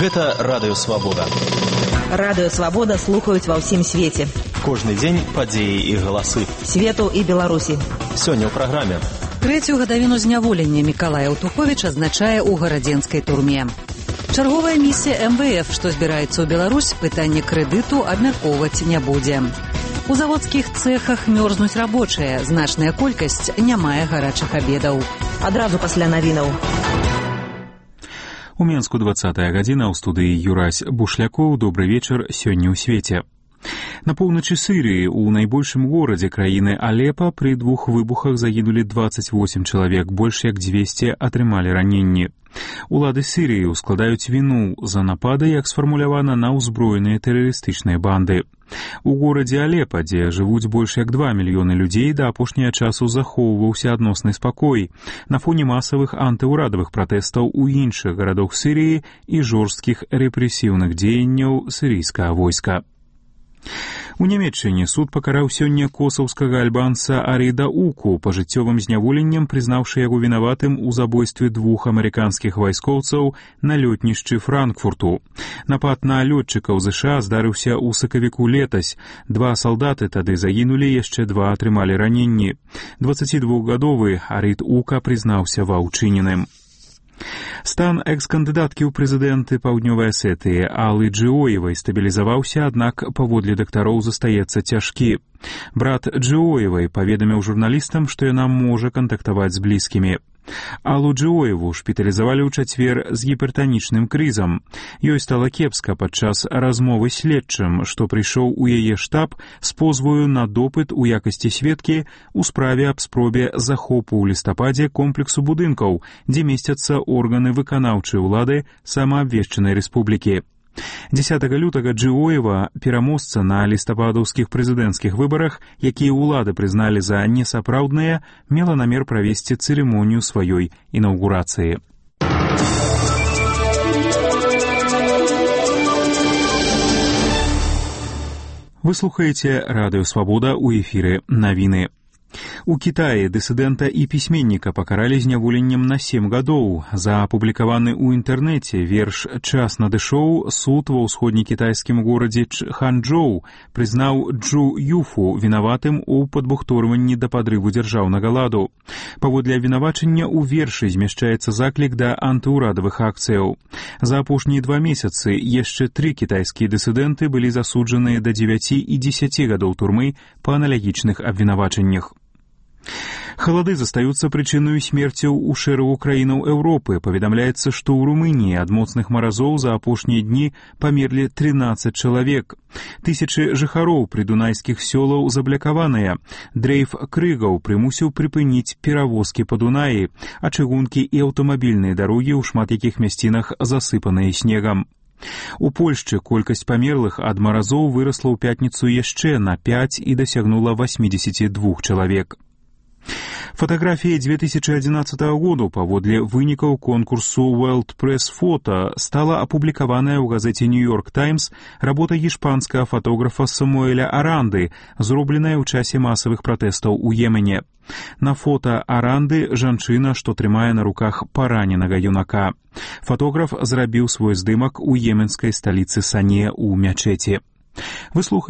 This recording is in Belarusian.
Гэта Радыё Свабода. Радыё Свабода слухаюць ва ўсім свеце. Кожны дзень падзеі і галасы. Свету і Беларусі. Сёння ў праграме. Трэцюю гадавіну зняволення Мікалай Аўтуховіч адзначае ў гарадзенскай турме. Чарговая місія МВФ, што збіраецца ў Беларусь, пытанне крэдыту абмяркоўваць не будзе. У заводскіх цэхах мёрзнуць рабочыя, значная колькасць не мае гарачых абедаў. Адразу пасля навінаў. У Менску 20-я гадзіна, ў студыі Юрась Бушлякоў. Добры вечар, сёння ў свеце. На поўначы Сірыі, у найбольшым горадзе краіны Алепа, пры двух выбухах загінулі 28 чалавек, больш як 200 атрымалі раненні. Улады Сірыі ускладаюць віну за напады, як сфармулявана, на ўзброеныя тэрарыстычныя банды. У горадзе Алепа, дзе жывуць больш як 2 мільёны людзей, да апошняга часу захоўваўся адносны спакой на фоне масавых антыўрадавых пратэстаў у іншых гарадах Сірыі і жорсткіх рэпрэсіўных дзеянняў сірыйскага войска. У Нямецчыне суд пакараў сёння косаўскага альбанца Аріда Уку пажыццёвым зняволеннем, прызнаўшы яго вінаватым у забойстве двух амерыканскіх вайскоўцаў на лётнішчы Франкфурту. Напад на лётчыкаў ЗША здарыўся ў сакавіку летась. 2 салдаты тады загінулі, яшчэ 2 атрымалі раненні. 22-гадовы Арід Ука прызнаўся ва ўчыненым. Стан экс-кандыдаткі ў прэзідэнты Паўднёвай Асетыі Аллы Джиоевай стабілізаваўся, аднак паводле дактароў застаецца цяжкі. Брат Джиоевай паведаміў журналістам, што яна можа кантактаваць з блізкімі. Аллу Джиоеву шпіталізавалі ў чацвер з гіпертанічным крызам. Ёй стала кепска падчас размовы з следчым, што прыйшоў у яе штаб з позваю на допыт у якасці сведкі ў справе аб спробе захопу ў лістападзе комплексу будынкаў, дзе месцяцца органы выканаўчай улады самаабвешчанай рэспублікі. 10 лютага Джиоева, пераможца на лістападаўскіх прэзідэнцкіх выбарах, якія ўлады прызналі за несапраўдныя, мела намер правесці цырымонію сваёй інаўгурацыі. Вы слухаеце Радыё Свабода, у эфіры навіны. У Кітаі дысідэнта і пісьменніка пакаралі зняволеннем на 7 гадоў. За апублікаваны ў інтэрнэце верш «Час надышоў» суд ва ўсходнекітайскім горадзе Ханчжоу прызнаў Джу Юфу вінаватым у падбухторванні да падрыву дзяржаўнага ладу. Паводле абвінавачання ў вершы змяшчаецца заклік да антыўрадавых акцыяў. За апошнія 2 месяцы яшчэ 3 кітайскія дысідэнты былі засуджаныя да 9 і 10 гадоў турмы па аналагічных абвінавачаннях. Халады застаюцца прычынаю смерцяў у шэрагу краінаў Еўропы. Паведамляецца, што ў Румыніі ад моцных маразоў за апошнія дні памерлі 13 чалавек. Тысячы жыхароў прыдунайскіх сёлаў заблякаваныя. Дрейф крыгаў прымусіў прыпыніць перавозкі па Дунаі, а чыгункі і аўтамабільныя дарогі ў шмат якіх мясцінах засыпаныя снегам. У Польшчы колькасць памерлых ад маразоў вырасла ў пятніцу яшчэ на 5 і дасягнула 82 чалавек. Фатаграфіяй 2011 году паводле вынікаў конкурсу World Press Photo стала апублікаваная ў газеце New York Times работа іспанскага фотографа Самуэля Аранды, зробленая ў часе масавых пратэстаў у Йемене. На фота Аранды жанчына, што трымае на руках параненага юнака. Фотограф зрабіў свой здымак у йеменскай сталіцы Сане ў мячэці. Вы слухаеце